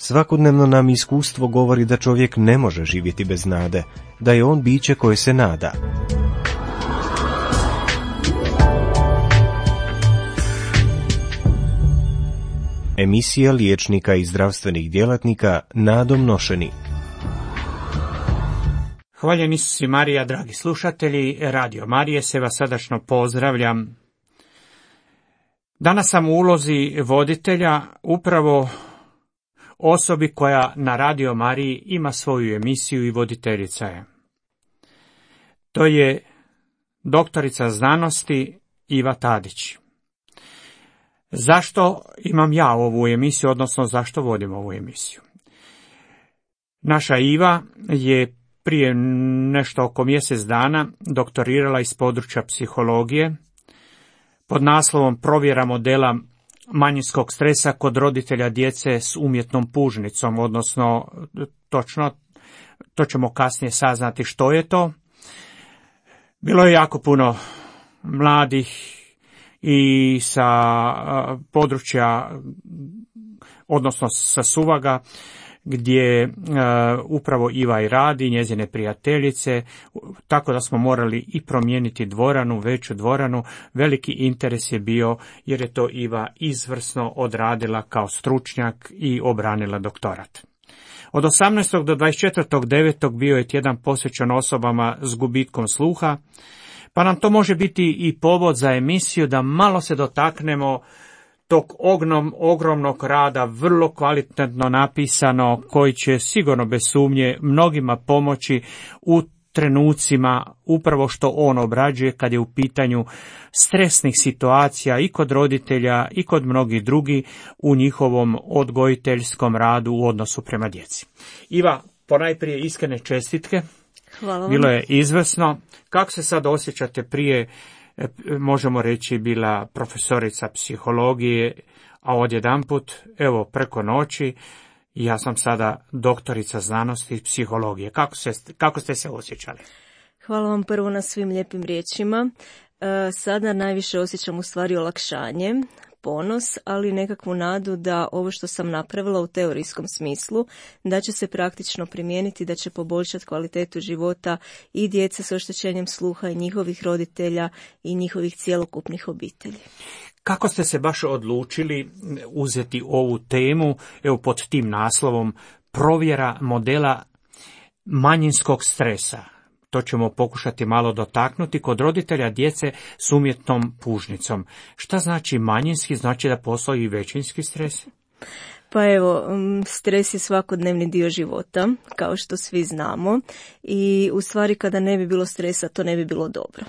Svakodnevno nam iskustvo govori da čovjek ne može živjeti bez nade, da je on biće koje se nada. Emisija liječnika i zdravstvenih djelatnika nadom nošeni. Hvaljen Isus i Marija, dragi slušatelji, Radio Marije se vas srdačno pozdravljam. Danas sam u ulozi voditelja upravo osobi koja na Radio Mariji ima svoju emisiju i voditeljica je. To je doktorica znanosti Iva Tadić. Zašto imam ja ovu emisiju, odnosno zašto vodim ovu emisiju? Naša Iva je prije nešto oko mjesec dana doktorirala iz područja psihologije pod naslovom Provjera modela manjinskog stresa kod roditelja djece s umjetnom pužnicom, odnosno točno, to ćemo kasnije saznati što je to. Bilo je jako puno mladih i sa područja, odnosno sa Suvaga, gdje upravo Iva i radi, njezine prijateljice, tako da smo morali i promijeniti dvoranu, veću dvoranu. Veliki interes je bio jer je to Iva izvrsno odradila kao stručnjak i obranila doktorat. Od 18. do 24.9. bio je tjedan posvećen osobama s gubitkom sluha, pa nam to može biti i povod za emisiju da malo se dotaknemo tog ogromnog rada, vrlo kvalitetno napisano, koji će sigurno bez sumnje mnogima pomoći u trenucima upravo što on obrađuje kad je u pitanju stresnih situacija i kod roditelja i kod mnogih drugih u njihovom odgojiteljskom radu u odnosu prema djeci. Iva, ponajprije iskrene čestitke. Hvala vam. Bilo je izvrsno. Kako se sad osjećate? Prije, možemo reći, bila profesorica psihologije, a odjedanput, evo, preko noći, ja sam sada doktorica znanosti i psihologije. Kako ste se osjećali? Hvala vam prvo na svim lijepim riječima. Sada najviše osjećam u stvari olakšanje, ponos, ali nekakvu nadu da ovo što sam napravila u teorijskom smislu, da će se praktično primijeniti, da će poboljšati kvalitetu života i djece s oštećenjem sluha i njihovih roditelja i njihovih cjelokupnih obitelji. Kako ste se baš odlučili uzeti ovu temu, evo pod tim naslovom, provjera modela manjinskog stresa? To ćemo pokušati malo dotaknuti kod roditelja djece s umjetnom pužnicom. Šta znači manjinski? Znači da postoji i većinski stres? Pa evo, stres je svakodnevni dio života, kao što svi znamo, i u stvari kada ne bi bilo stresa, to ne bi bilo dobro.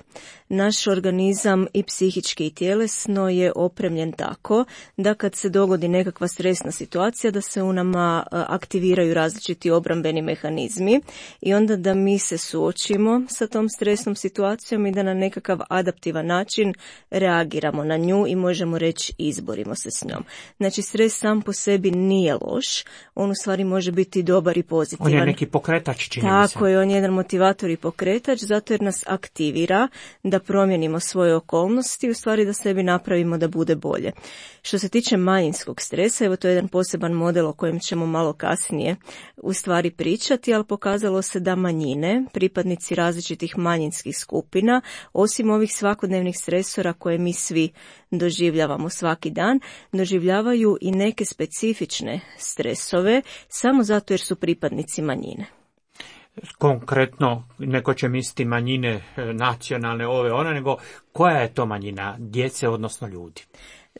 Naš organizam i psihički i tjelesno je opremljen tako da kad se dogodi nekakva stresna situacija, da se u nama aktiviraju različiti obrambeni mehanizmi i onda da mi se suočimo sa tom stresnom situacijom i da na nekakav adaptivan način reagiramo na nju i možemo reći izborimo se s njom. Znači, stres sam po sebi nije loš, on u stvari može biti dobar i pozitivan. On je neki pokretač, čini mi se. Tako je, on je jedan motivator i pokretač, zato jer nas aktivira da promijenimo svoje okolnosti, u stvari da sebi napravimo da bude bolje. Što se tiče manjinskog stresa, evo to je jedan poseban model o kojem ćemo malo kasnije u stvari pričati, ali pokazalo se da manjine, pripadnici različitih manjinskih skupina, osim ovih svakodnevnih stresora koje mi svi doživljavamo svaki dan, doživljavaju i neke specifične stresove samo zato jer su pripadnici manjine. Konkretno, neko će misliti manjine nacionalne, one, nego koja je to manjina? Djece, odnosno ljudi?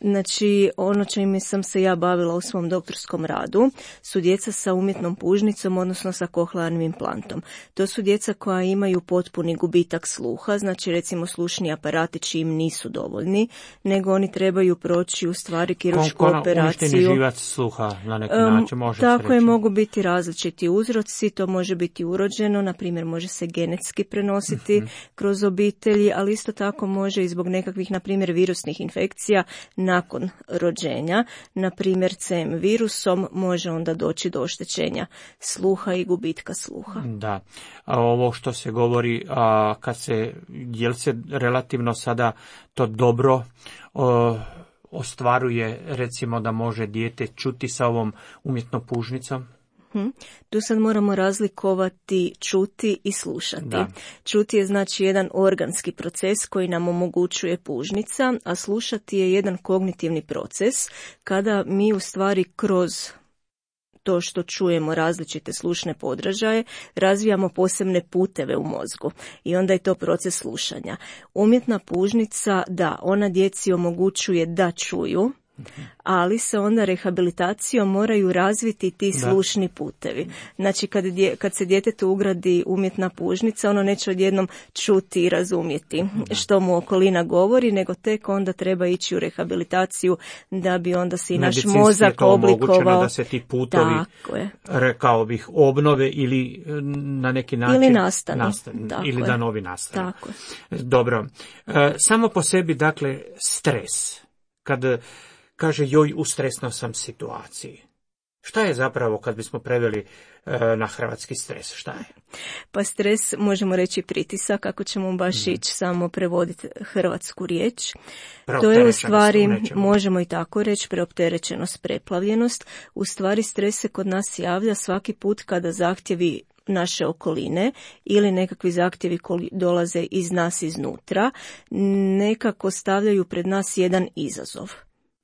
Znači, ono čime sam se ja bavila u svom doktorskom radu su djeca sa umjetnom pužnicom, odnosno sa kohlearnim implantom. To su djeca koja imaju potpuni gubitak sluha, znači recimo slušni aparatići im nisu dovoljni, nego oni trebaju proći u stvari kiruršku operaciju. Uništeni živac sluha na neki način može se reći. Tako je, mogu biti različiti uzroci, to može biti urođeno, na primjer može se genetski prenositi kroz obitelji, ali isto tako može i zbog nekakvih, na primjer, virusnih infekcija nakon rođenja, na primjer CM virusom, može onda doći do oštećenja sluha i gubitka sluha. Da, a ovo što se govori, jel se relativno sada to dobro ostvaruje, recimo da može dijete čuti sa ovom umjetnom pužnicom? Tu sad moramo razlikovati čuti i slušati. Da. Čuti je znači jedan organski proces koji nam omogućuje pužnica, a slušati je jedan kognitivni proces kada mi u stvari kroz to što čujemo različite slušne podražaje, razvijamo posebne puteve u mozgu i onda je to proces slušanja. Umjetna pužnica, da, ona djeci omogućuje da čuju, ali se onda rehabilitacijom moraju razviti ti slušni putevi. Znači kad se djetetu ugradi umjetna pužnica, ono neće odjednom čuti i razumjeti što mu okolina govori, nego tek onda treba ići u rehabilitaciju da bi onda se i naš mozak oblikovao. Da se ti putovi, rekao bih, obnove ili na neki način ili nastanu. Ili da novi nastanu. Tako. Dobro. Samo po sebi, dakle, stres. Kad kaže, joj, u stresnoj sam situaciji. Šta je zapravo, kad bismo preveli na hrvatski stres, šta je? Pa stres, možemo reći pritisak, ako ćemo baš ići samo prevoditi hrvatsku riječ. To je u stvari, možemo i tako reći, preopterećenost, preplavljenost. U stvari stres se kod nas javlja svaki put kada zahtjevi naše okoline ili nekakvi zahtjevi koji dolaze iz nas iznutra, nekako stavljaju pred nas jedan izazov.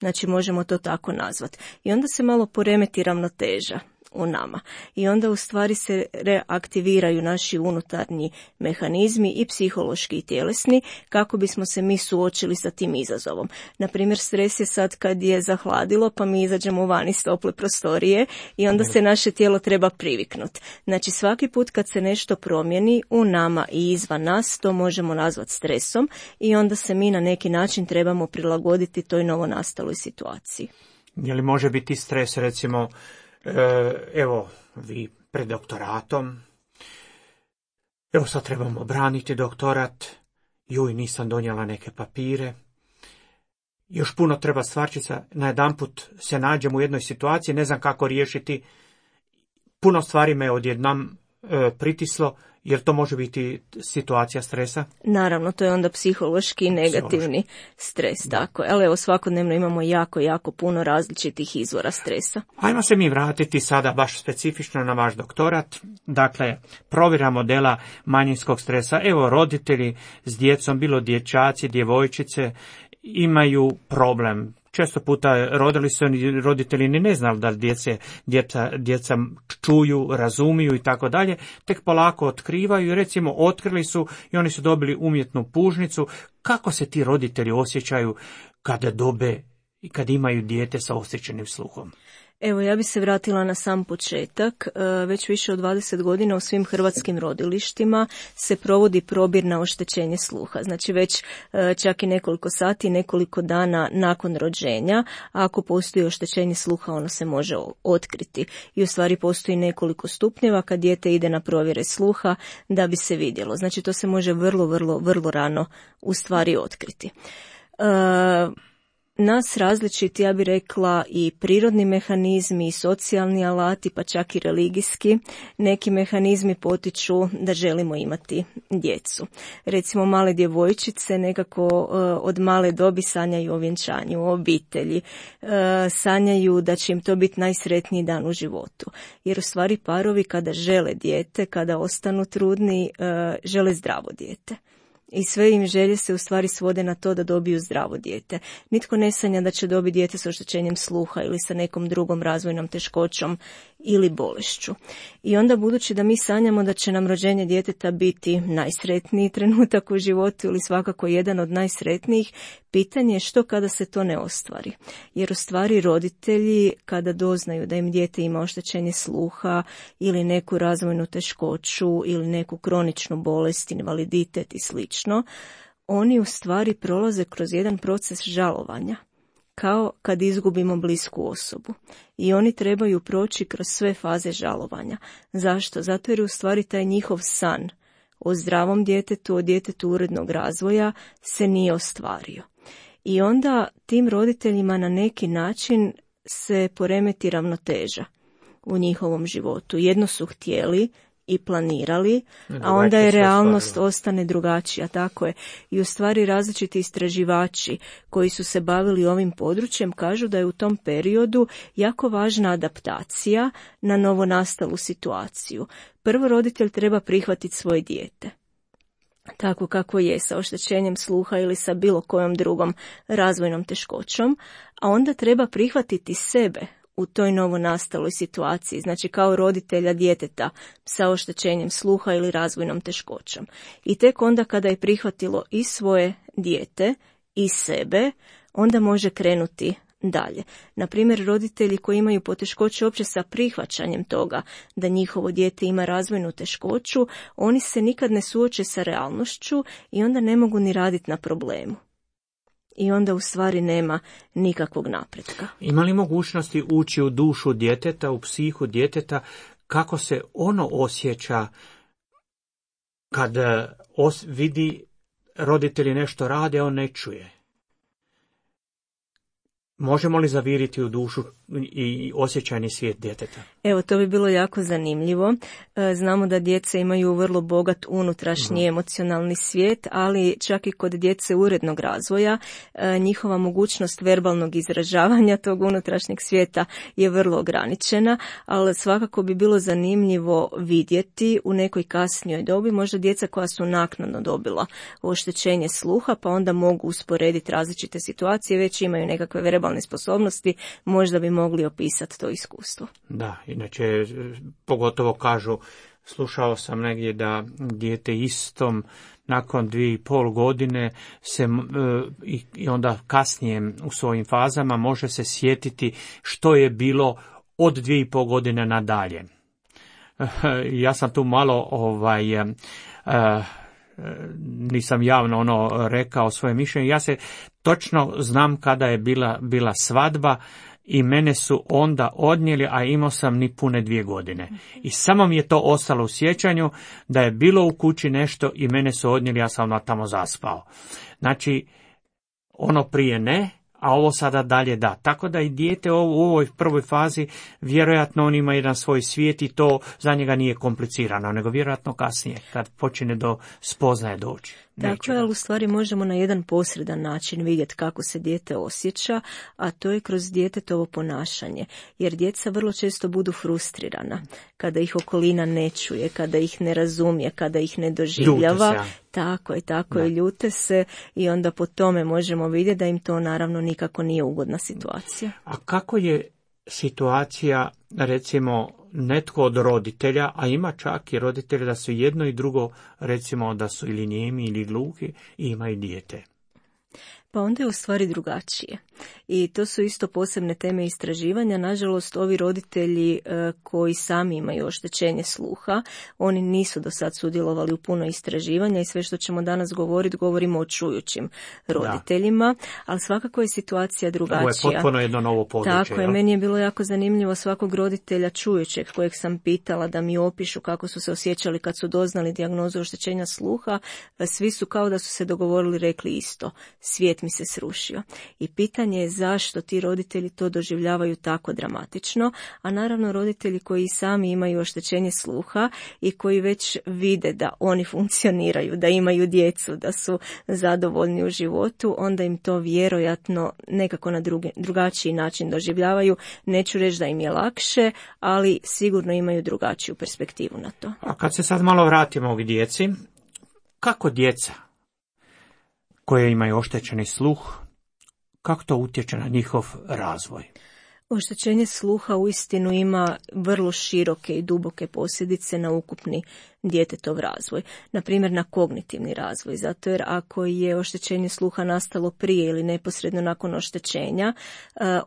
Znači možemo to tako nazvati. I onda se malo poremeti ravnoteža u nama. I onda u stvari se reaktiviraju naši unutarnji mehanizmi i psihološki i tjelesni kako bismo se mi suočili sa tim izazovom. Naprimjer, stres je sad kad je zahladilo pa mi izađemo van iz tople prostorije i onda se naše tijelo treba priviknuti. Znači svaki put kad se nešto promijeni u nama i izvan nas, to možemo nazvati stresom i onda se mi na neki način trebamo prilagoditi toj novonastaloj situaciji. Je li može biti stres, recimo, evo, vi pred doktoratom, evo sad trebamo braniti doktorat, joj, nisam donijela neke papire, još puno treba stvarčica, najedanput se nađem u jednoj situaciji, ne znam kako riješiti, puno stvari me odjednom pritislo, jer to može biti situacija stresa? Naravno, to je onda psihološki i negativni stres, tako je. Ali evo, svakodnevno imamo jako puno različitih izvora stresa. Ajmo se mi vratiti sada baš specifično na vaš doktorat. Dakle, provjera modela manjinskog stresa. Evo, roditelji s djecom, bilo dječaci, djevojčice, imaju problem. Često puta rodili su roditelji ni ne znali da djeca čuju, razumiju i tako dalje, tek polako otkrivaju i recimo otkrili su i oni su dobili umjetnu pužnicu. Kako se ti roditelji osjećaju kada dobe i kad imaju dijete sa oštećenim sluhom? Evo, ja bi se vratila na sam početak. Već više od 20 godina u svim hrvatskim rodilištima se provodi probir na oštećenje sluha. Znači već čak i nekoliko sati, nekoliko dana nakon rođenja, a ako postoji oštećenje sluha, ono se može otkriti. I u stvari postoji nekoliko stupnjeva kad dijete ide na provjere sluha da bi se vidjelo. Znači to se može vrlo rano u stvari otkriti. Nas različiti, ja bih rekla, i prirodni mehanizmi, i socijalni alati, pa čak i religijski, neki mehanizmi potiču da želimo imati djecu. Recimo, male djevojčice nekako od male dobi sanjaju o vjenčanju, o obitelji, sanjaju da će im to biti najsretniji dan u životu. Jer u stvari parovi kada žele dijete, kada ostanu trudni, žele zdravo dijete. I sve im želje se u stvari svode na to da dobiju zdravo dijete. Nitko ne sanja da će dobiti dijete s oštećenjem sluha ili sa nekom drugom razvojnom teškoćom ili bolešću. I onda, budući da mi sanjamo da će nam rođenje djeteta biti najsretniji trenutak u životu ili svakako jedan od najsretnijih, pitanje je što kada se to ne ostvari. Jer u stvari roditelji kada doznaju da im dijete ima oštećenje sluha ili neku razvojnu teškoću ili neku kroničnu bolest, invaliditet i slično, oni u stvari prolaze kroz jedan proces žalovanja, kao kad izgubimo blisku osobu. I oni trebaju proći kroz sve faze žalovanja. Zašto? Zato jer u stvari taj njihov san o zdravom djetetu, o djetetu urednog razvoja se nije ostvario. I onda tim roditeljima na neki način se poremeti ravnoteža u njihovom životu. Jedno su htjeli i planirali, a onda je realnost ostane drugačija, tako je. I u stvari različiti istraživači koji su se bavili ovim područjem kažu da je u tom periodu jako važna adaptacija na novonastalu situaciju. Prvo, roditelj treba prihvatiti svoje dijete tako kako je, sa oštećenjem sluha ili sa bilo kojom drugom razvojnom teškoćom, a onda treba prihvatiti sebe u toj novonastaloj situaciji, znači kao roditelja djeteta sa oštećenjem sluha ili razvojnom teškoćom. I tek onda kada je prihvatilo i svoje dijete i sebe, onda može krenuti dalje. Na primjer, roditelji koji imaju poteškoće uopće sa prihvaćanjem toga da njihovo dijete ima razvojnu teškoću, oni se nikad ne suoče sa realnošću i onda ne mogu ni raditi na problemu. I onda u stvari nema nikakvog napretka. Ima li mogućnosti ući u dušu djeteta, u psihu djeteta, kako se ono osjeća kad vidi roditelji nešto rade, a on ne čuje? Možemo li zaviriti u dušu i osjećajni svijet djeteta? Evo, to bi bilo jako zanimljivo. Znamo da djeca imaju vrlo bogat unutrašnji emocionalni svijet, ali čak i kod djece urednog razvoja njihova mogućnost verbalnog izražavanja tog unutrašnjeg svijeta je vrlo ograničena, ali svakako bi bilo zanimljivo vidjeti u nekoj kasnijoj dobi, možda djeca koja su naknadno dobila oštećenje sluha, pa onda mogu usporediti različite situacije, već imaju nekakve verbalne sposobnosti, možda bi mogli opisati to iskustvo. Da, inače pogotovo kažu, slušao sam negdje da dijete istom nakon 2,5 godine se i onda kasnije u svojim fazama može se sjetiti što je bilo od 2,5 godine nadalje. Ja sam tu malo nisam javno rekao svoje mišljenje. Ja se točno znam kada je bila svadba i mene su onda odnijeli, a imao sam ni pune 2 godine. I samo mi je to ostalo u sjećanju da je bilo u kući nešto i mene su odnijeli, ja sam tamo zaspao. Znači, ono prije ne, a ovo sada dalje da. Tako da i dijete u ovoj prvoj fazi, vjerojatno on ima jedan svoj svijet i to za njega nije komplicirano, nego vjerojatno kasnije, kad počine do spoznaje doći. Tako je, ali u stvari možemo na jedan posredan način vidjeti kako se dijete osjeća, a to je kroz djetetovo ponašanje. Jer djeca vrlo često budu frustrirana kada ih okolina ne čuje, kada ih ne razumije, kada ih ne doživljava. Ljute se. Tako je, ljute se i onda po tome možemo vidjeti da im to naravno nikako nije ugodna situacija. A kako je situacija, recimo, netko od roditelja, a ima čak i roditelja da su jedno i drugo, recimo da su ili nijemi ili gluhi i imaju dijete? Pa onda je u stvari drugačije. I to su isto posebne teme istraživanja. Nažalost, ovi roditelji koji sami imaju oštećenje sluha, oni nisu do sad sudjelovali u puno istraživanja i sve što ćemo danas govoriti, govorimo o čujućim roditeljima, ali svakako je situacija drugačija. Ovo je potpuno jedno novo područje. Tako je, meni je bilo jako zanimljivo svakog roditelja čujućeg kojeg sam pitala da mi opišu kako su se osjećali kad su doznali dijagnozu oštećenja sluha. Svi su kao da su se dogovorili, rekli isto, svijet mi se srušio. I pitanje je zašto ti roditelji to doživljavaju tako dramatično, a naravno roditelji koji sami imaju oštećenje sluha i koji već vide da oni funkcioniraju, da imaju djecu, da su zadovoljni u životu, onda im to vjerojatno nekako na drugačiji način doživljavaju. Neću reći da im je lakše, ali sigurno imaju drugačiju perspektivu na to. A kad se sad malo vratimo k djeci, kako djeca koje imaju oštećeni sluh, kako to utječe na njihov razvoj? Oštećenje sluha uistinu ima vrlo široke i duboke posljedice na ukupni djetetov razvoj, na primjer na kognitivni razvoj, zato jer ako je oštećenje sluha nastalo prije ili neposredno nakon oštećenja,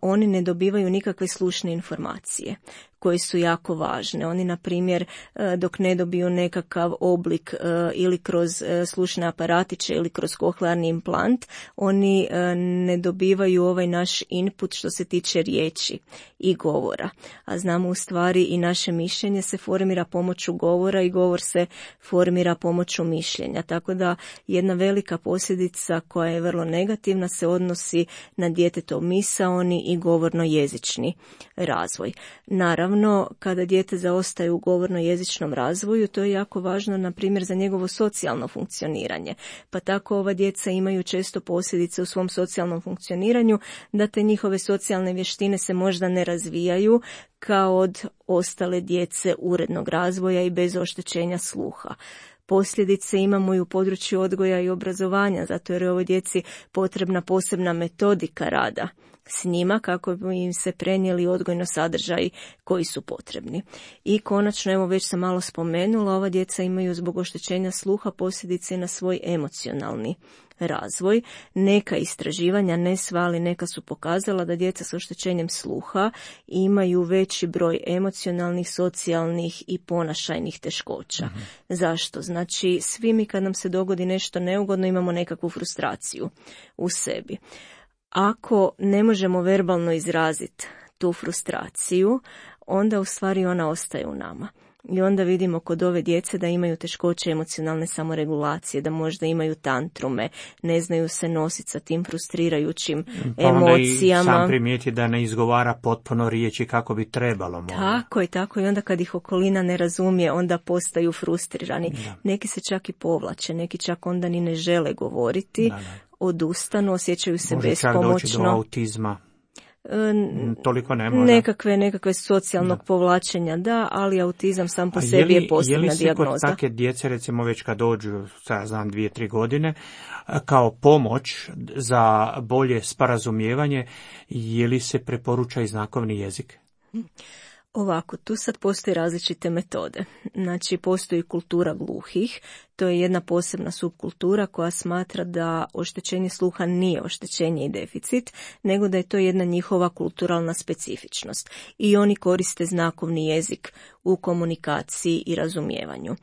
oni ne dobivaju nikakve slušne informacije koje su jako važne. Oni, na primjer, dok ne dobiju nekakav oblik ili kroz slušne aparatiće ili kroz kohlearni implant, oni ne dobivaju ovaj naš input što se tiče riječi i govora. A znamo u stvari i naše mišljenje se formira pomoću govora i govor se formira pomoću mišljenja. Tako da jedna velika posljedica koja je vrlo negativna se odnosi na djetetov misaoni i govorno-jezični razvoj. Naravno, Naravno, kada dijete zaostaje u govorno-jezičnom razvoju, to je jako važno, na primjer, za njegovo socijalno funkcioniranje. Pa tako ova djeca imaju često posljedice u svom socijalnom funkcioniranju, da te njihove socijalne vještine se možda ne razvijaju kao od ostale djece urednog razvoja i bez oštećenja sluha. Posljedice imamo i u području odgoja i obrazovanja, zato jer je ovoj djeci potrebna posebna metodika rada s njima kako bi im se prenijeli odgojno sadržaji koji su potrebni. I konačno, evo već sam malo spomenula, ova djeca imaju zbog oštećenja sluha posljedice na svoj emocionalni razvoj. Neka istraživanja, ne sva, ali neka su pokazala da djeca s oštećenjem sluha imaju veći broj emocionalnih, socijalnih i ponašajnih teškoća. Zašto? Znači, svi mi kad nam se dogodi nešto neugodno imamo nekakvu frustraciju u sebi. Ako ne možemo verbalno izraziti tu frustraciju, onda u stvari ona ostaje u nama. I onda vidimo kod ove djece da imaju teškoće emocionalne samoregulacije, da možda imaju tantrume, ne znaju se nositi sa tim frustrirajućim emocijama. Pa onda i sam primijeti da ne izgovara potpuno riječi kako bi trebalo. Tako i onda kad ih okolina ne razumije, onda postaju frustrirani. Da. Neki se čak i povlače, neki čak onda ni ne žele govoriti, odustanu, osjećaju se može bespomoćno. Može čak doći do autizma. Toliko ne može. Nekakve socijalnog povlačenja, da, ali autizam sam po sebi je posebna dijagnoza. Je li se kod takve djece, recimo već kad dođu, 2-3 godine, kao pomoć za bolje sporazumijevanje, je li se preporuča i znakovni jezik? Ovako, tu sad postoje različite metode. Znači, postoji kultura gluhih, to je jedna posebna subkultura koja smatra da oštećenje sluha nije oštećenje i deficit, nego da je to jedna njihova kulturalna specifičnost. I oni koriste znakovni jezik u komunikaciji i razumijevanju.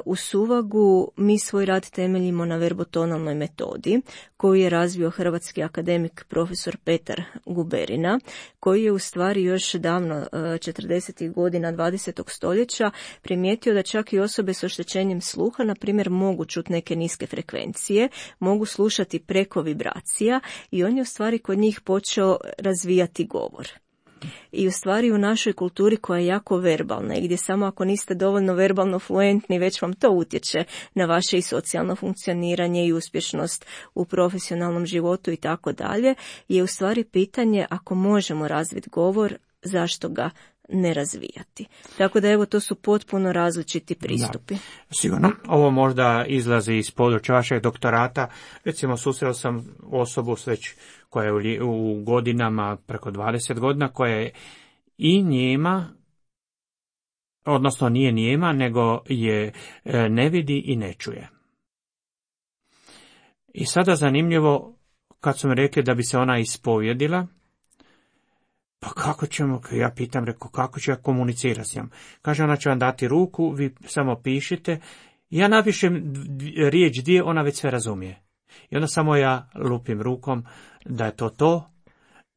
U Suvagu mi svoj rad temeljimo na verbotonalnoj metodi koju je razvio hrvatski akademik profesor Petar Guberina, koji je u stvari još davno 40. godina 20. stoljeća primijetio da čak i osobe s oštećenjem sluha, na primjer, mogu čuti neke niske frekvencije, mogu slušati preko vibracija i on je u stvari kod njih počeo razvijati govor. I u stvari u našoj kulturi koja je jako verbalna i gdje samo ako niste dovoljno verbalno fluentni, već vam to utječe na vaše i socijalno funkcioniranje i uspješnost u profesionalnom životu i tako dalje, je u stvari pitanje ako možemo razviti govor, zašto ga ne razvijati. Tako da evo, to su potpuno različiti pristupi. Da, sigurno. Ovo možda izlazi iz područja vašeg doktorata. Recimo, susreo sam osobu već koja je u godinama, preko 20 godina, koja je i njema, odnosno nije njema, nego je ne vidi i ne čuje. I sada zanimljivo, kad su mi rekli da bi se ona ispovjedila, pa kako ćemo, ja pitam, rekao, kako ću ja komunicirati s njom? Kaže, ona će vam dati ruku, vi samo pišite, ja napišem riječ dvije, ona već sve razumije. I onda samo ja lupim rukom da je to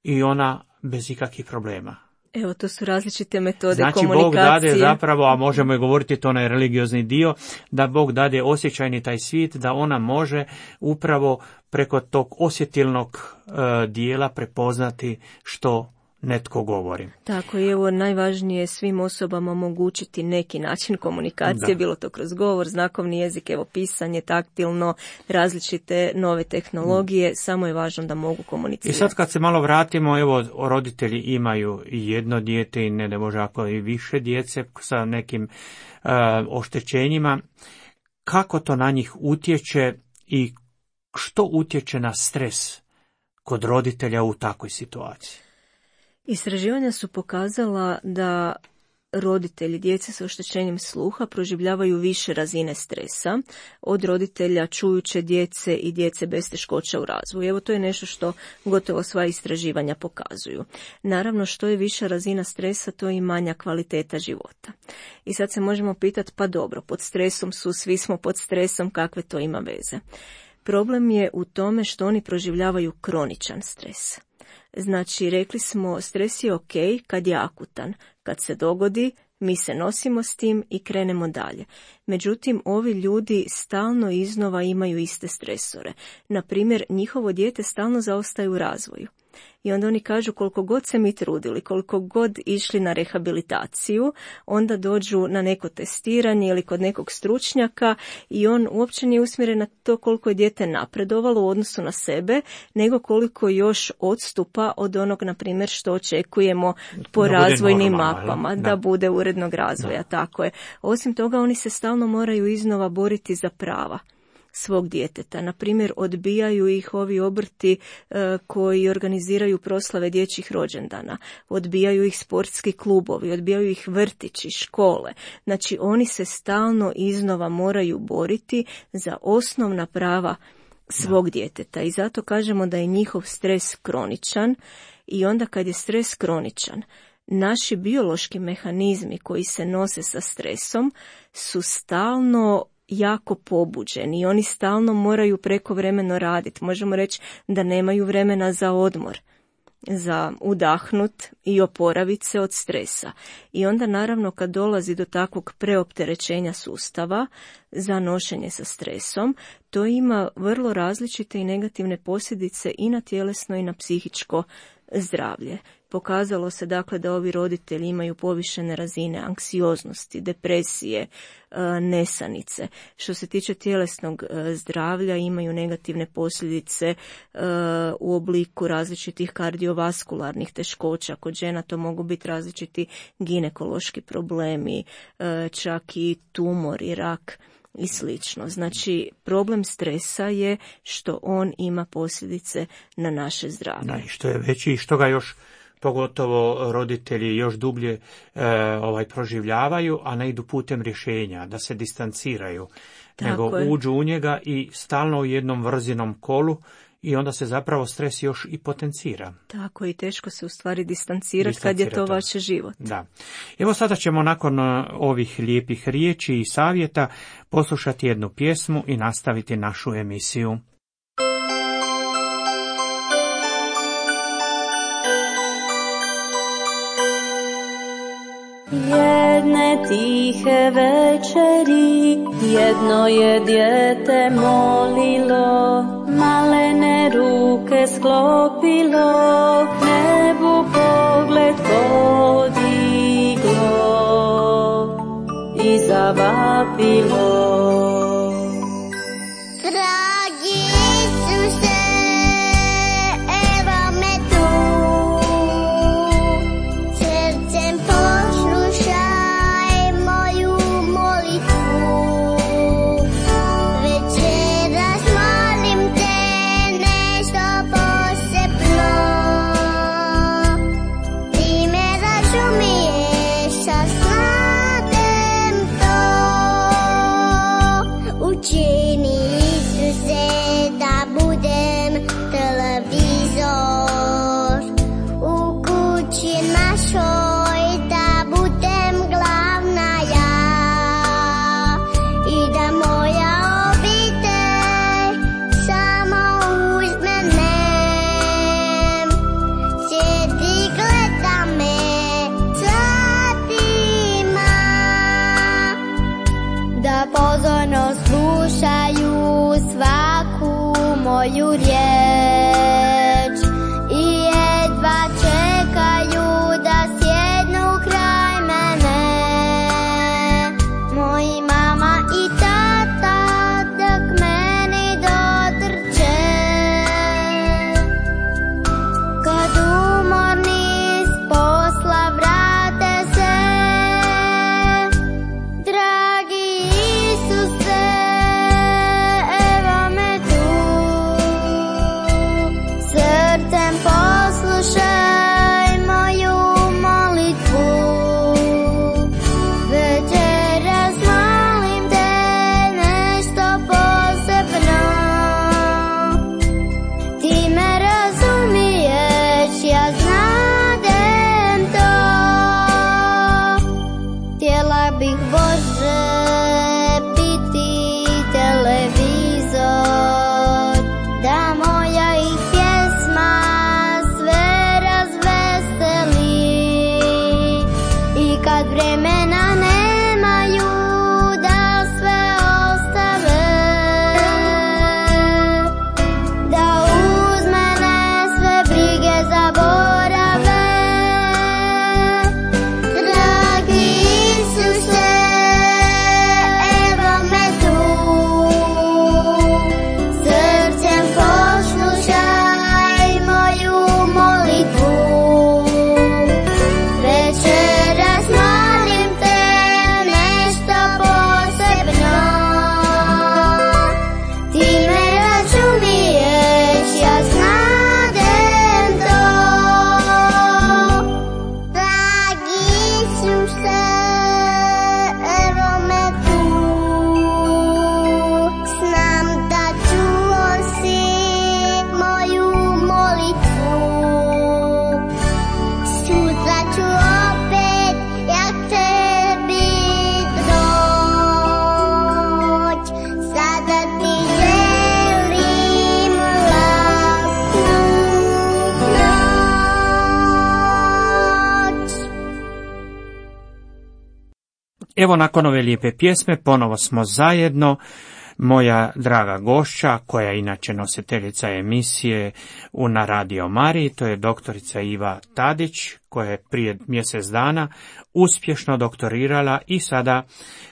i ona bez ikakvih problema. Evo, to su različite metode znači, komunikacije. Bog dade zapravo, a možemo i govoriti to onaj religiozni dio, da Bog dade osjećajni taj svijet, da ona može upravo preko tog osjetilnog dijela prepoznati što netko govori. Tako i evo, najvažnije je svim osobama omogućiti neki način komunikacije, bilo to kroz govor, znakovni jezik, evo pisanje, taktilno, različite nove tehnologije, samo je važno da mogu komunicirati. I sad kad se malo vratimo, evo, roditelji imaju i jedno dijete i ne može ako i više djece sa nekim oštećenjima, kako to na njih utječe i što utječe na stres kod roditelja u takvoj situaciji? Istraživanja su pokazala da roditelji djece sa oštećenjem sluha proživljavaju više razine stresa od roditelja čujuće djece i djece bez teškoća u razvoju. Evo, to je nešto što gotovo sva istraživanja pokazuju. Naravno, što je viša razina stresa, to je i manja kvaliteta života. I sad se možemo pitati, pa dobro, pod stresom su, svi smo pod stresom, kakve to ima veze? Problem je u tome što oni proživljavaju kroničan stres. Znači, rekli smo, stres je ok kad je akutan. Kad se dogodi, mi se nosimo s tim i krenemo dalje. Međutim, ovi ljudi stalno iznova imaju iste stresore. Na primjer, njihovo dijete stalno zaostaje u razvoju. I onda oni kažu koliko god se mi trudili, koliko god išli na rehabilitaciju, onda dođu na neko testiranje ili kod nekog stručnjaka i on uopće nije usmjeren na to koliko je dijete napredovalo u odnosu na sebe, nego koliko još odstupa od onog, na primjer, što očekujemo po razvojnim mapama, da bude urednog razvoja, tako je. Osim toga, oni se stalno moraju iznova boriti za prava svog djeteta. Na primjer, odbijaju ih ovi obrti koji organiziraju proslave dječjih rođendana, odbijaju ih sportski klubovi, odbijaju ih vrtići, škole. Znači, oni se stalno iznova moraju boriti za osnovna prava svog djeteta i zato kažemo da je njihov stres kroničan i onda kad je stres kroničan, naši biološki mehanizmi koji se nose sa stresom su stalno jako pobuđeni i oni stalno moraju prekovremeno raditi. Možemo reći da nemaju vremena za odmor, za udahnut i oporaviti se od stresa. I onda naravno kad dolazi do takvog preopterećenja sustava za nošenje sa stresom, to ima vrlo različite i negativne posljedice i na tjelesno i na psihičko zdravlje. Pokazalo se dakle da ovi roditelji imaju povišene razine anksioznosti, depresije, nesanice. Što se tiče tjelesnog zdravlja, imaju negativne posljedice u obliku različitih kardiovaskularnih teškoća. Kod žena to mogu biti različiti ginekološki problemi, čak i tumor i rak i slično. Znači, problem stresa je što on ima posljedice na naše zdravlje. Da, i što je veći i što ga još pogotovo roditelji još dublje proživljavaju, a ne idu putem rješenja, da se distanciraju, nego uđu u njega i stalno u jednom vrzinom kolu i onda se zapravo stres još i potencira. Tako, i teško se u stvari distancirati kad je to vaš život. Da. Evo sada ćemo nakon ovih lijepih riječi i savjeta poslušati jednu pjesmu i nastaviti našu emisiju. Jedne tihe večeri jedno je dijete molilo, malene ruke sklopilo, nebu pogled podiglo i zavapilo. moju riječ i jedva čekaju da sjednu kraj mene. Moji mama i tata da k meni dotrče, kad umorni s posla vrate se. Dragi Isuse, evo me tu, srcem poslušaj moju molitvu. Večeras molim te nešto posebno, ti me razumiješ, ja znadem to. Htjela bih, Bože, biti televizor, da moja ih pjesma sve razveseli, i kad vremena nemaju da sve ostave, da uz mene sve brige Evo, nakon ove lijepe pjesme ponovo smo zajedno. Moja draga gošća, koja je inače nositeljica emisije na Radio Mariji, to je doktorica Iva Tadić, koja je prije mjesec dana uspješno doktorirala i sada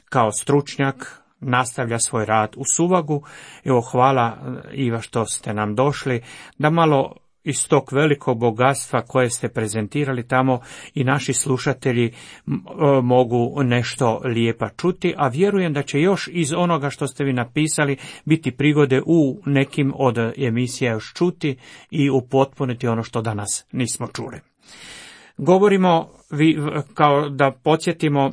kao stručnjak nastavlja svoj rad u Suvagu. Evo, hvala Iva što ste nam došli, da malo iz tog velikog bogatstva koje ste prezentirali tamo i naši slušatelji mogu nešto lijepa čuti, a vjerujem da će još iz onoga što ste vi napisali biti prigode u nekim od emisija još čuti i upotpuniti ono što danas nismo čuli. Govorimo, kao da podsjetimo,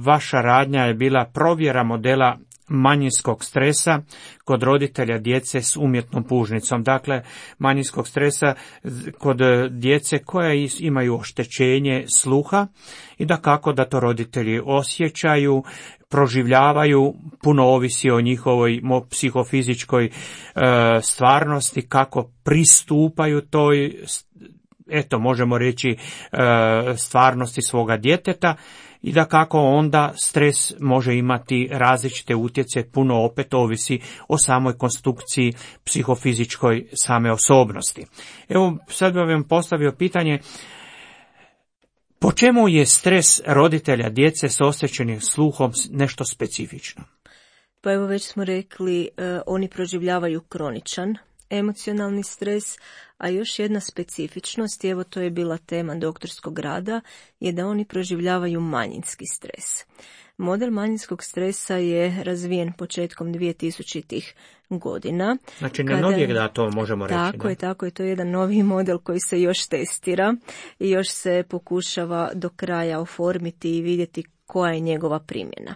vaša radnja je bila provjera modela manjinskog stresa kod roditelja djece s umjetnom pužnicom. Dakle, manjinskog stresa kod djece koja imaju oštećenje sluha i da kako da to roditelji osjećaju, proživljavaju, puno ovisi o njihovoj psihofizičkoj stvarnosti, kako pristupaju toj, možemo reći, stvarnosti svoga djeteta. I da kako onda stres može imati različite utjece, puno opet ovisi o samoj konstrukciji psihofizičkoj same osobnosti. Evo, sad bih vam postavio pitanje, po čemu je stres roditelja djece s oštećenim sluhom nešto specifično? Pa evo, već smo rekli, oni proživljavaju kroničan emocionalni stres, a još jedna specifičnost, evo to je bila tema doktorskog rada, je da oni proživljavaju manjinski stres. Model manjinskog stresa je razvijen početkom 2000-ih godina. Znači, na novijeg dato možemo reći. Tako je, to je jedan novi model koji se još testira i još se pokušava do kraja oformiti i vidjeti koja je njegova primjena.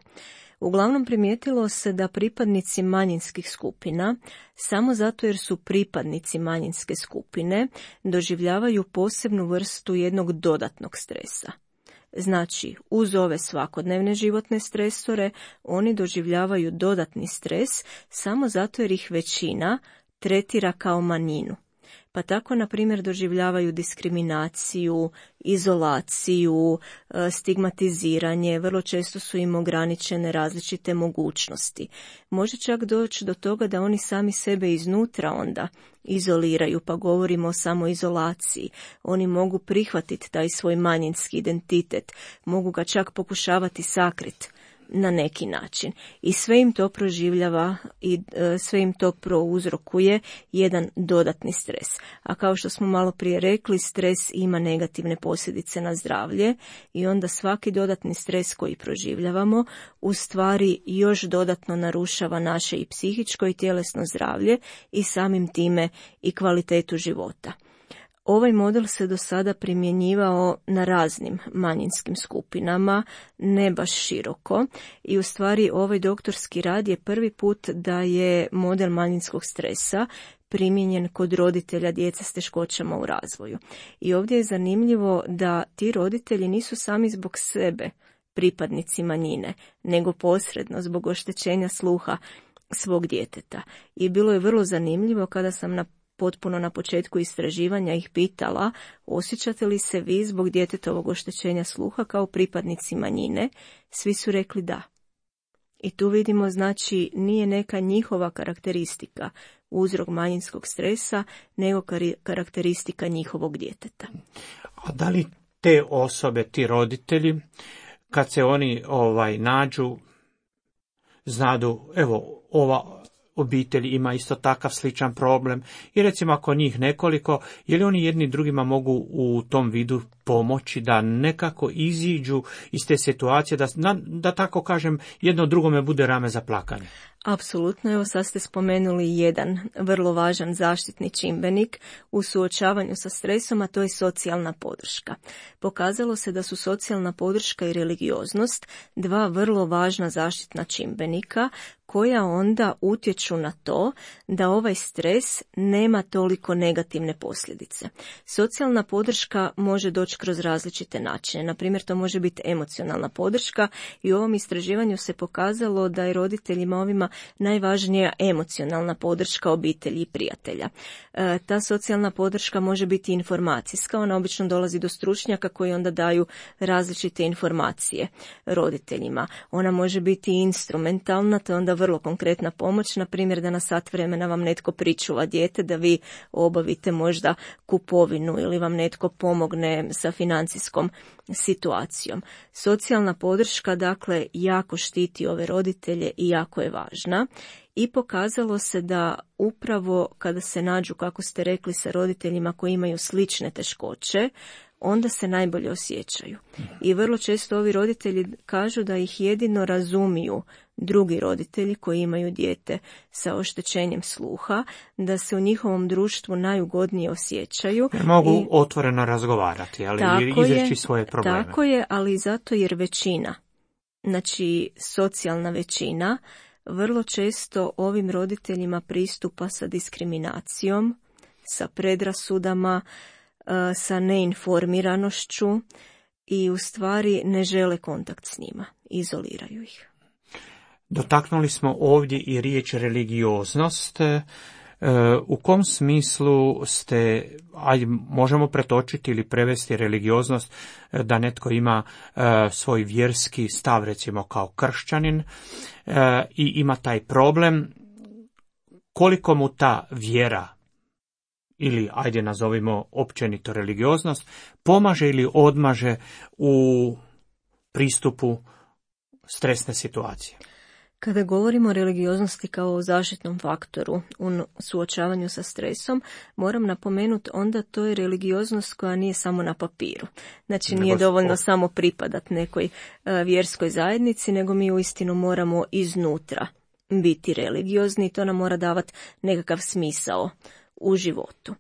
Uglavnom primijetilo se da pripadnici manjinskih skupina, samo zato jer su pripadnici manjinske skupine, doživljavaju posebnu vrstu jednog dodatnog stresa. Znači, uz ove svakodnevne životne stresore, oni doživljavaju dodatni stres samo zato jer ih većina tretira kao manjinu. Pa tako, na primjer, doživljavaju diskriminaciju, izolaciju, stigmatiziranje, vrlo često su im ograničene različite mogućnosti. Može čak doći do toga da oni sami sebe iznutra onda izoliraju, pa govorimo o samoizolaciji. Oni mogu prihvatiti taj svoj manjinski identitet, mogu ga čak pokušavati sakriti na neki način. I sve im to proživljava i sve im to prouzrokuje jedan dodatni stres. A kao što smo malo prije rekli, stres ima negativne posljedice na zdravlje i onda svaki dodatni stres koji proživljavamo u stvari još dodatno narušava naše i psihičko i tjelesno zdravlje i samim time i kvalitetu života. Ovaj model se do sada primjenjivao na raznim manjinskim skupinama, ne baš široko, i u stvari ovaj doktorski rad je prvi put da je model manjinskog stresa primijenjen kod roditelja djece s teškoćama u razvoju. I ovdje je zanimljivo da ti roditelji nisu sami zbog sebe pripadnici manjine, nego posredno zbog oštećenja sluha svog djeteta. I bilo je vrlo zanimljivo kada sam potpuno na početku istraživanja ih pitala, osjećate li se vi zbog djetetovog oštećenja sluha kao pripadnici manjine? Svi su rekli da. I tu vidimo, znači, nije neka njihova karakteristika uzrok manjinskog stresa, nego karakteristika njihovog djeteta. A da li te osobe, ti roditelji, kad se oni nađu, znadu, evo, ova obitelj ima isto takav sličan problem, i recimo ako njih nekoliko, je li oni jedni drugima mogu u tom vidu pomoći da nekako iziđu iz te situacije, da tako kažem, jedno drugome bude rame za plakanje? Apsolutno, evo sad ste spomenuli jedan vrlo važan zaštitni čimbenik u suočavanju sa stresom, a to je socijalna podrška. Pokazalo se da su socijalna podrška i religioznost dva vrlo važna zaštitna čimbenika koja onda utječu na to da ovaj stres nema toliko negativne posljedice. Socijalna podrška može doći pomoć kroz različite načine. Na primjer, to može biti emocionalna podrška i u ovom istraživanju se pokazalo da je roditeljima ovima najvažnija emocionalna podrška obitelji i prijatelja. Ta socijalna podrška može biti informacijska, ona obično dolazi do stručnjaka koji onda daju različite informacije roditeljima. Ona može biti instrumentalna, to je onda vrlo konkretna pomoć, na primjer da na sat vremena vam netko pričuva dijete, da vi obavite možda kupovinu ili vam netko pomogne sa financijskom situacijom. Socijalna podrška, dakle, jako štiti ove roditelje i jako je važna. I pokazalo se da upravo kada se nađu, kako ste rekli, sa roditeljima koji imaju slične teškoće, onda se najbolje osjećaju. I vrlo često ovi roditelji kažu da ih jedino razumiju drugi roditelji koji imaju dijete sa oštećenjem sluha, da se u njihovom društvu najugodnije osjećaju. Mogu otvoreno razgovarati, ali izreći svoje probleme. Tako je, ali zato jer većina, znači socijalna većina, vrlo često ovim roditeljima pristupa sa diskriminacijom, sa predrasudama, sa neinformiranošću i u stvari ne žele kontakt s njima, izoliraju ih. Dotaknuli smo ovdje i riječ religioznost. U kom smislu ste, možemo pretočiti ili prevesti religioznost da netko ima svoj vjerski stav, recimo kao kršćanin, i ima taj problem, koliko mu ta vjera ili ajde nazovimo općenito religioznost pomaže ili odmaže u pristupu stresne situacije. Kada govorimo o religioznosti kao o zaštitnom faktoru u suočavanju sa stresom, moram napomenuti onda to je religioznost koja nije samo na papiru. Znači nije dovoljno samo pripadat nekoj vjerskoj zajednici, nego mi uistinu moramo iznutra biti religiozni i to nam mora davati nekakav smisao u životu.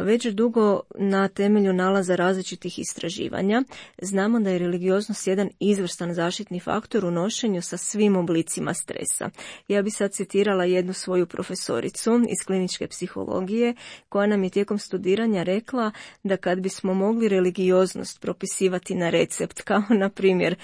Već dugo na temelju nalaza različitih istraživanja znamo da je religioznost jedan izvrstan zaštitni faktor u nošenju sa svim oblicima stresa. Ja bi sad citirala jednu svoju profesoricu iz kliničke psihologije koja nam je tijekom studiranja rekla da kad bismo mogli religioznost propisivati na recept, kao na primjer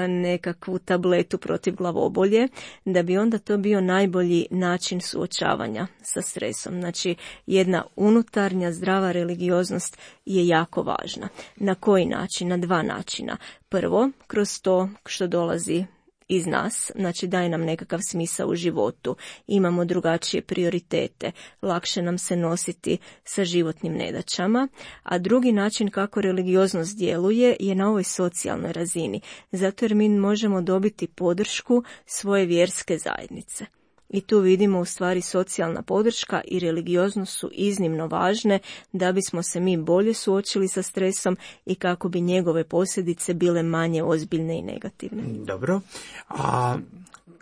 nekakvu tabletu protiv glavobolje, da bi onda to bio najbolji način suočavanja sa stresom. Znači jedna unutarnja zdrava religioznost je jako važna. Na koji način? Na dva načina. Prvo, kroz to što dolazi iz nas, znači daje nam nekakav smisao u životu, imamo drugačije prioritete, lakše nam se nositi sa životnim nedaćama, a drugi način kako religioznost djeluje je na ovoj socijalnoj razini, zato jer mi možemo dobiti podršku svoje vjerske zajednice. I tu vidimo u stvari socijalna podrška i religioznost su iznimno važne da bismo se mi bolje suočili sa stresom i kako bi njegove posljedice bile manje ozbiljne i negativne. Dobro. A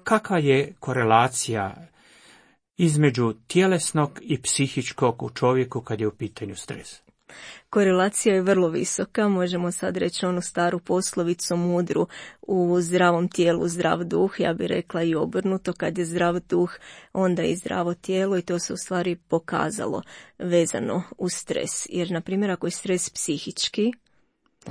kakva je korelacija između tjelesnog i psihičkog u čovjeku kad je u pitanju stres? Korelacija je vrlo visoka, možemo sad reći onu staru poslovicu mudru, u zdravom tijelu zdrav duh, ja bih rekla i obrnuto, kad je zdrav duh onda je i zdravo tijelo i to se u stvari pokazalo vezano uz stres. Jer na primjer ako je stres psihički,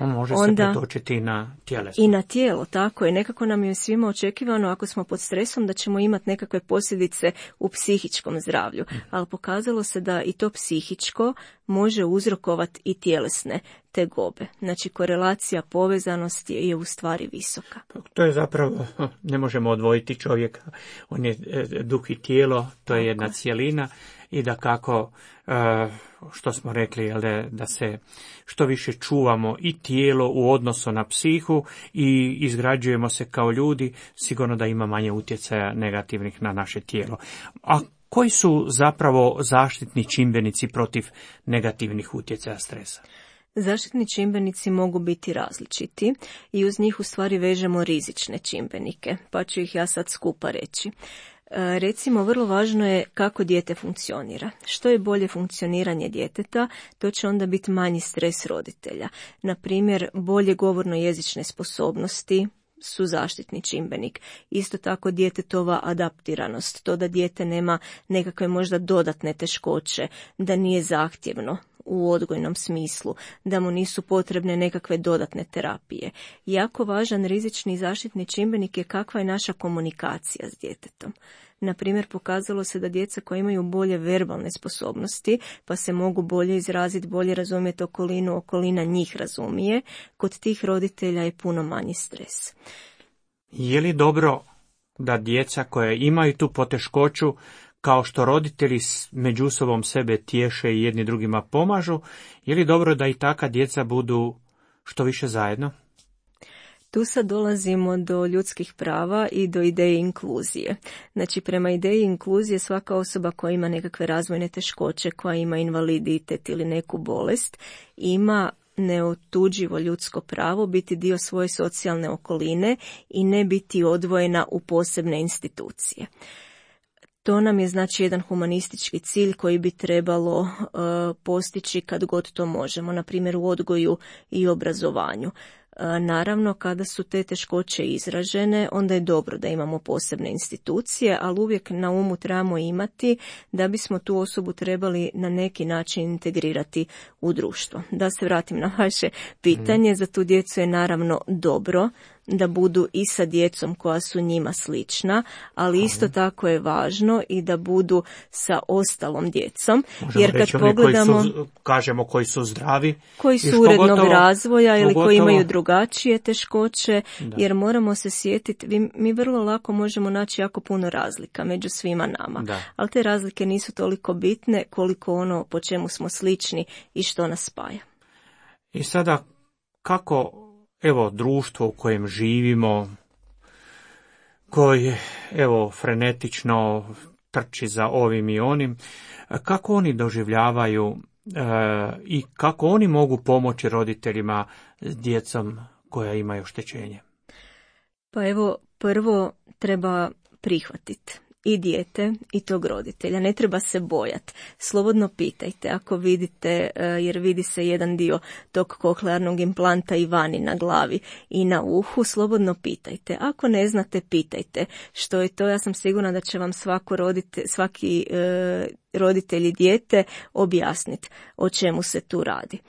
on može se pretočiti na tjelesno. I na tijelo, tako je. Nekako nam je svima očekivano ako smo pod stresom da ćemo imati nekakve posljedice u psihičkom zdravlju. Ali pokazalo se da i to psihičko može uzrokovati i tjelesne tegobe. Znači korelacija, povezanost je u stvari visoka. To je zapravo, ne možemo odvojiti čovjeka. On je duh i tijelo, to je jedna cjelina i da kako, što smo rekli, da se što više čuvamo i tijelo u odnosu na psihu i izgrađujemo se kao ljudi, sigurno da ima manje utjecaja negativnih na naše tijelo. A koji su zapravo zaštitni čimbenici protiv negativnih utjecaja stresa? Zaštitni čimbenici mogu biti različiti i uz njih u stvari vežemo rizične čimbenike, pa ću ih ja sad skupa reći. Recimo, vrlo važno je kako dijete funkcionira. Što je bolje funkcioniranje djeteta, to će onda biti manji stres roditelja. Na primjer, bolje govorno-jezične sposobnosti su zaštitni čimbenik. Isto tako djetetova adaptiranost, to da dijete nema nekakve možda dodatne teškoće, da nije zahtjevno u odgojnom smislu, da mu nisu potrebne nekakve dodatne terapije. Jako važan rizični i zaštitni čimbenik je kakva je naša komunikacija s djetetom. Na primjer, pokazalo se da djeca koja imaju bolje verbalne sposobnosti, pa se mogu bolje izraziti, bolje razumjeti okolinu, okolina njih razumije, kod tih roditelja je puno manji stres. Je li dobro da djeca koja imaju tu poteškoću, kao što roditelji među sobom sebe tješe i jedni drugima pomažu, je li dobro da i taka djeca budu što više zajedno? Tu sad dolazimo do ljudskih prava i do ideje inkluzije. Znači, prema ideji inkluzije svaka osoba koja ima nekakve razvojne teškoće, koja ima invaliditet ili neku bolest, ima neotuđivo ljudsko pravo biti dio svoje socijalne okoline i ne biti odvojena u posebne institucije. To nam je znači jedan humanistički cilj koji bi trebalo postići kad god to možemo, na primjer u odgoju i obrazovanju. Naravno, kada su te teškoće izražene, onda je dobro da imamo posebne institucije, ali uvijek na umu trebamo imati da bismo tu osobu trebali na neki način integrirati u društvo. Da se vratim na vaše pitanje, za tu djecu je naravno dobro da budu i sa djecom koja su njima slična, ali isto tako je važno i da budu sa ostalom djecom. Možemo jer kad reći pogledamo, koji su zdravi, koji su urednog razvoja ili koji imaju drugačije teškoće, jer moramo se sjetiti, mi vrlo lako možemo naći jako puno razlika među svima nama, ali te razlike nisu toliko bitne koliko ono po čemu smo slični i što nas spaja. I sada kako društvo u kojem živimo, koje frenetično trči za ovim i onim, kako oni doživljavaju i kako oni mogu pomoći roditeljima s djecom koja imaju oštećenje? Pa prvo treba prihvatiti i dijete i tog roditelja. Ne treba se bojati. Slobodno pitajte ako vidite, jer vidi se jedan dio tog koklearnog implanta i vani na glavi i na uhu, slobodno pitajte. Ako ne znate, pitajte što je to. Ja sam sigurna da će vam svaki roditelj i dijete objasniti o čemu se tu radi.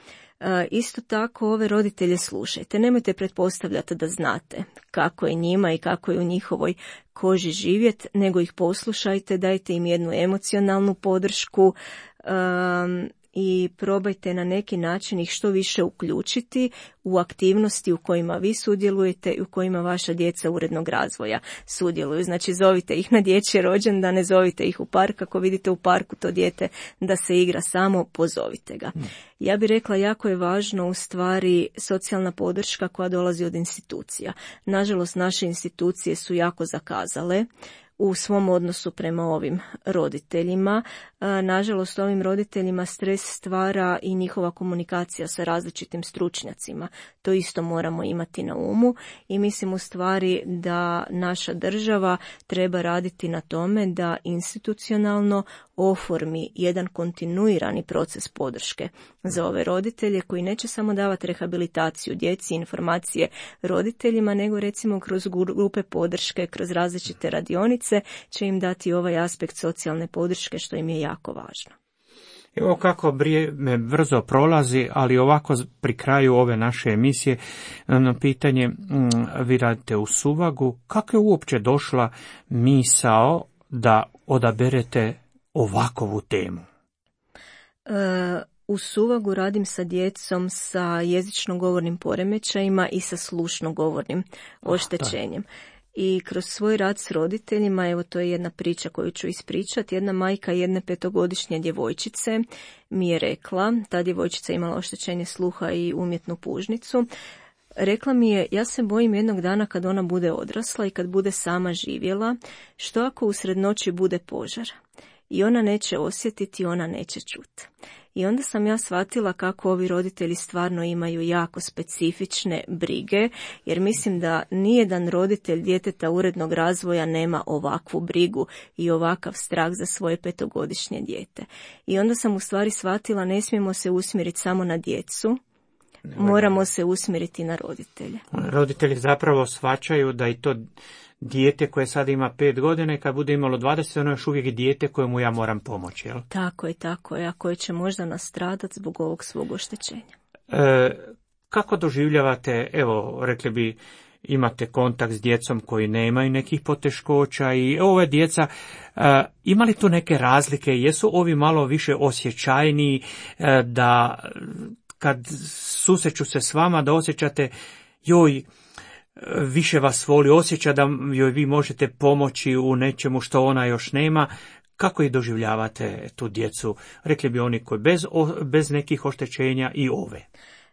Isto tako ove roditelje slušajte, nemojte pretpostavljati da znate kako je njima i kako je u njihovoj koži živjeti, nego ih poslušajte, dajte im jednu emocionalnu podršku i probajte na neki način ih što više uključiti u aktivnosti u kojima vi sudjelujete i u kojima vaša djeca urednog razvoja sudjeluju. Znači, zovite ih na dječje rođendane, zovite ih u park, ako vidite u parku to dijete da se igra samo, pozovite ga. Ja bih rekla, jako je važno u stvari socijalna podrška koja dolazi od institucija. Nažalost, naše institucije su jako zakazale u svom odnosu prema ovim roditeljima. Nažalost, ovim roditeljima stres stvara i njihova komunikacija sa različitim stručnjacima. To isto moramo imati na umu i mislim u stvari da naša država treba raditi na tome da institucionalno oformi jedan kontinuirani proces podrške za ove roditelje koji neće samo davati rehabilitaciju djeci, informacije roditeljima, nego recimo kroz grupe podrške, kroz različite radionice će im dati ovaj aspekt socijalne podrške što im je jako važno. Evo kako vrijeme brzo prolazi, ali ovako pri kraju ove naše emisije na pitanje, vi radite u Suvagu, kako je uopće došla misao da odaberete ovakvu temu? U Suvagu radim sa djecom sa jezično-govornim poremećajima i sa slušno-govornim oštećenjem. I kroz svoj rad s roditeljima, evo to je jedna priča koju ću ispričati, jedna majka jedne 5-godišnje djevojčice mi je rekla, ta djevojčica imala oštećenje sluha i umjetnu pužnicu, rekla mi je, ja se bojim jednog dana kad ona bude odrasla i kad bude sama živjela, što ako usred noći bude požar i ona neće osjetiti, ona neće čuti. I onda sam ja shvatila kako ovi roditelji stvarno imaju jako specifične brige, jer mislim da nijedan roditelj djeteta urednog razvoja nema ovakvu brigu i ovakav strah za svoje 5-godišnje dijete. I onda sam u stvari shvatila, ne smijemo se usmjeriti samo na djecu, moramo se usmjeriti na roditelje. Roditelji zapravo shvaćaju da i to dijete koje sad ima 5 godina i kad bude imalo 20, ono je još uvijek dijete kojemu ja moram pomoći, jel? Tako je, a koje će možda nastradati zbog ovog svog oštećenja. Kako doživljavate, evo, rekli bi, imate kontakt s djecom koji nemaju nekih poteškoća i ove djeca, ima li tu neke razlike, jesu ovi malo više osjećajniji, da kad susreću se s vama da osjećate, joj, više vas voli, osjeća da joj vi možete pomoći u nečemu što ona još nema. Kako ih doživljavate tu djecu, rekli bi oni koji bez nekih oštećenja i ove?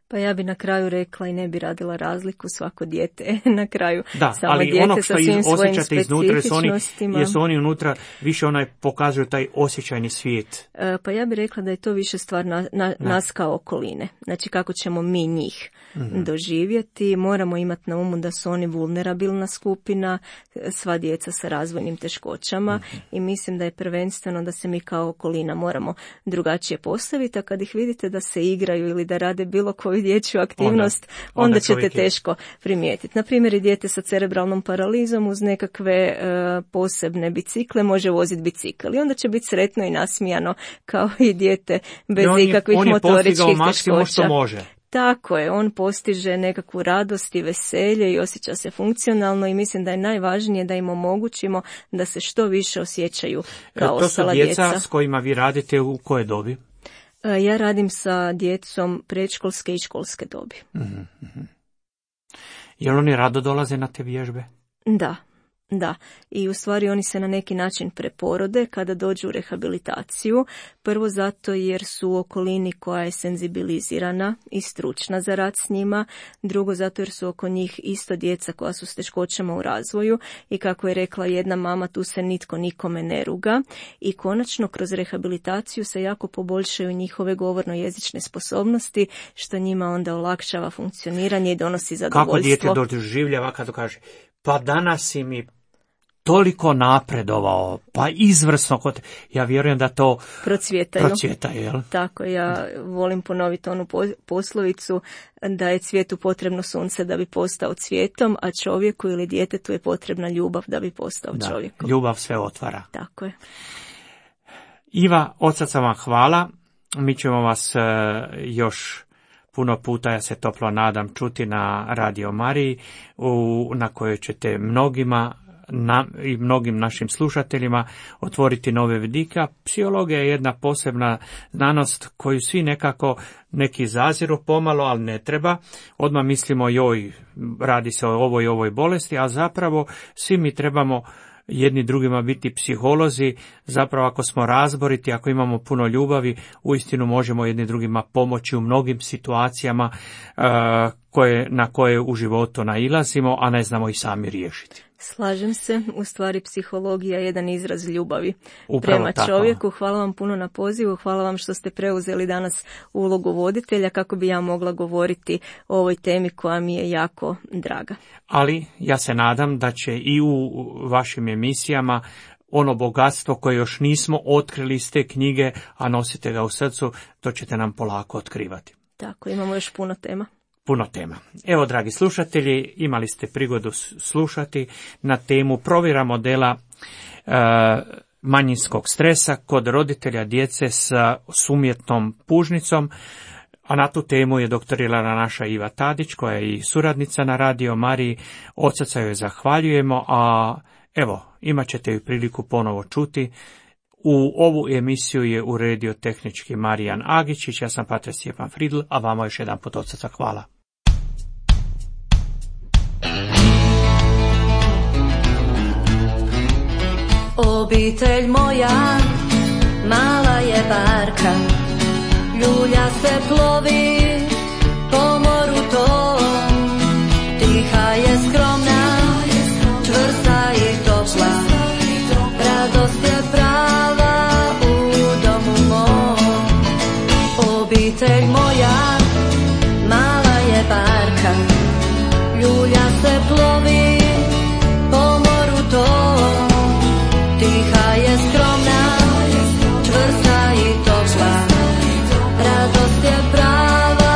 Pa ja bi na kraju rekla i ne bi radila razliku, svako dijete na kraju. Da, samo ali dijete ono što sa svim svojim osjećate iznutra, jesu oni unutra, više pokazuju taj osjećajni svijet. Pa ja bih rekla da je to više stvar nas kao okoline. Znači kako ćemo mi njih doživjeti. Moramo imati na umu da su oni vulnerabilna skupina, sva djeca sa razvojnim teškoćama i mislim da je prvenstveno da se mi kao okolina moramo drugačije postaviti, a kad ih vidite da se igraju ili da rade bilo koju dječju aktivnost, onda ćete teško primijetiti. Na primjer, i dijete sa cerebralnom paralizom uz nekakve posebne bicikle može voziti bicikl i onda će biti sretno i nasmijano kao i dijete bez ikakvih motoričkih teškoća. On je postigao maksimum što može. Tako je, on postiže nekakvu radost i veselje i osjeća se funkcionalno i mislim da je najvažnije da im omogućimo da se što više osjećaju kao ostala djeca. To su djeca s kojima vi radite u koje dobi? Ja radim sa djecom predškolske i školske dobi. Jel oni rado dolaze na te vježbe? Da, i u stvari oni se na neki način preporode kada dođu u rehabilitaciju. Prvo zato jer su u okolini koja je senzibilizirana i stručna za rad s njima. Drugo zato jer su oko njih isto djeca koja su s teškoćama u razvoju i kako je rekla jedna mama, tu se nitko nikome ne ruga. I konačno kroz rehabilitaciju se jako poboljšaju njihove govorno-jezične sposobnosti, što njima onda olakšava funkcioniranje i donosi zadovoljstvo. Kako dijete doživljava kada kaže, pa danas si mi toliko napredovao, pa izvrsno, ja vjerujem da to procvjetaju, jel? Tako, ja volim ponoviti onu poslovicu da je cvijetu potrebno sunce da bi postao cvijetom, a čovjeku ili djetetu je potrebna ljubav da bi postao čovjekom. Ljubav sve otvara. Tako je. Iva, od srca vam hvala, mi ćemo vas još puno puta, ja se toplo nadam, čuti na Radio Mariji, na kojoj ćete mnogima i mnogim našim slušateljima otvoriti nove vidike. Psihologija je jedna posebna znanost koju svi nekako neki zaziru pomalo, ali ne treba. Odmah mislimo, joj, radi se o ovoj bolesti, a zapravo svi mi trebamo jedni drugima biti psiholozi. Zapravo ako smo razboriti, ako imamo puno ljubavi, uistinu možemo jedni drugima pomoći u mnogim situacijama na koje u životu nailazimo, a ne znamo i sami riješiti. Slažem se, u stvari psihologija je jedan izraz ljubavi prema čovjeku. Hvala vam puno na pozivu, hvala vam što ste preuzeli danas ulogu voditelja kako bi ja mogla govoriti o ovoj temi koja mi je jako draga. Ali ja se nadam da će i u vašim emisijama ono bogatstvo koje još nismo otkrili iz te knjige, a nosite ga u srcu, to ćete nam polako otkrivati. Tako, imamo još puno tema. Evo, dragi slušatelji, imali ste prigodu slušati na temu provjera modela manjinskog stresa kod roditelja djece s umjetnom pužnicom, a na tu temu je doktorirala naša Iva Tadić, koja je i suradnica na Radio Mariji. Od srca joj zahvaljujemo, a evo, imat ćete ju priliku ponovo čuti. U ovu emisiju je uredio tehnički Marijan Agičić, ja sam Pater Stjepan Fridl, a vama još jedan put od srca hvala. Obitelj moja, mala je barka, ljulja se plovi po moru tom, tiha je skromna, čvrsta i topla, radost je prava u domu mom. Obitelj moja, mala je barka, ljulja se plovi po moru tom, tiha je skromna, čvrsta i topla, radost je prava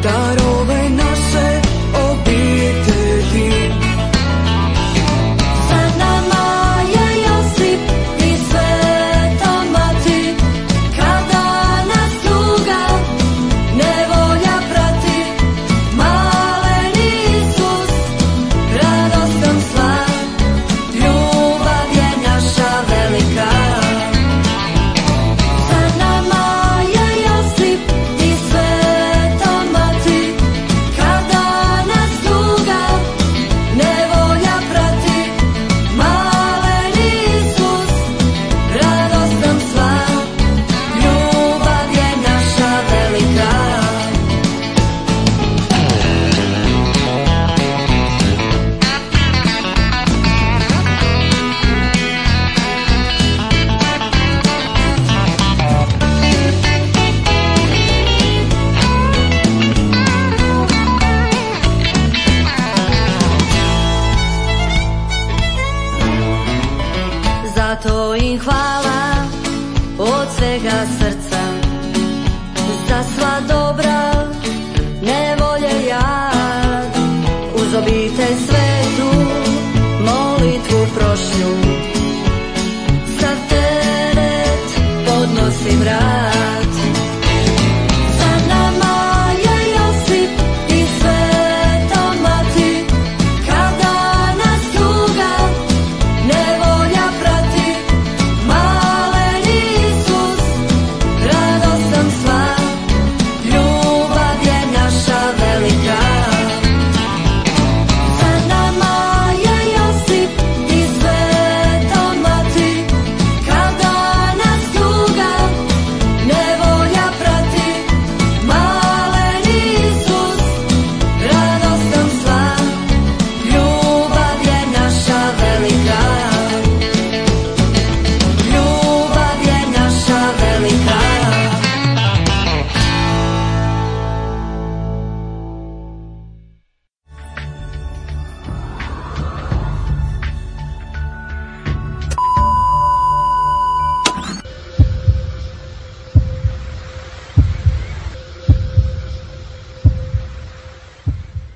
darove naše obitelji. Sa nama je Josip i Sveta Mati, kada nas tuga nevolja prati, malen Isus, radostan svan, ljubav je naša velika. Sa nama je Josip i Sveta Mati, kada nas tuga nevolja prati, malen Isus, radostan svan, ljubav je naša velika. Zato im hvala od svega srca, za sva dobra nevolje jad, uz obitelj svetu molitvu prošnju, sav teret podnosim rad. Za nama je Josip i Sveta Mati, kada nas tuga nevolja prati, malen Isus, radostan svan, ljubav je naša velika. Za nama je Josip i Sveta Mati, kada nas tuga nevolja prati, malen Isus, radostan svan, ljubav je naša velika. Ljubav je naša velika.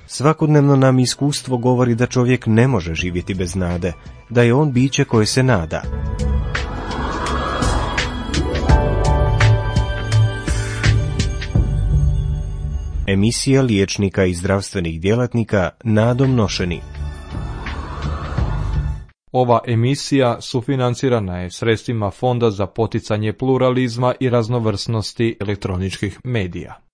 Svakodnevno nam iskustvo govori da čovjek ne može živjeti bez nade, da je on biće koje se nada. Emisija liječnika i zdravstvenih djelatnika nadom nošeni. Ova emisija sufinancirana je sredstvima Fonda za poticanje pluralizma i raznovrsnosti elektroničkih medija.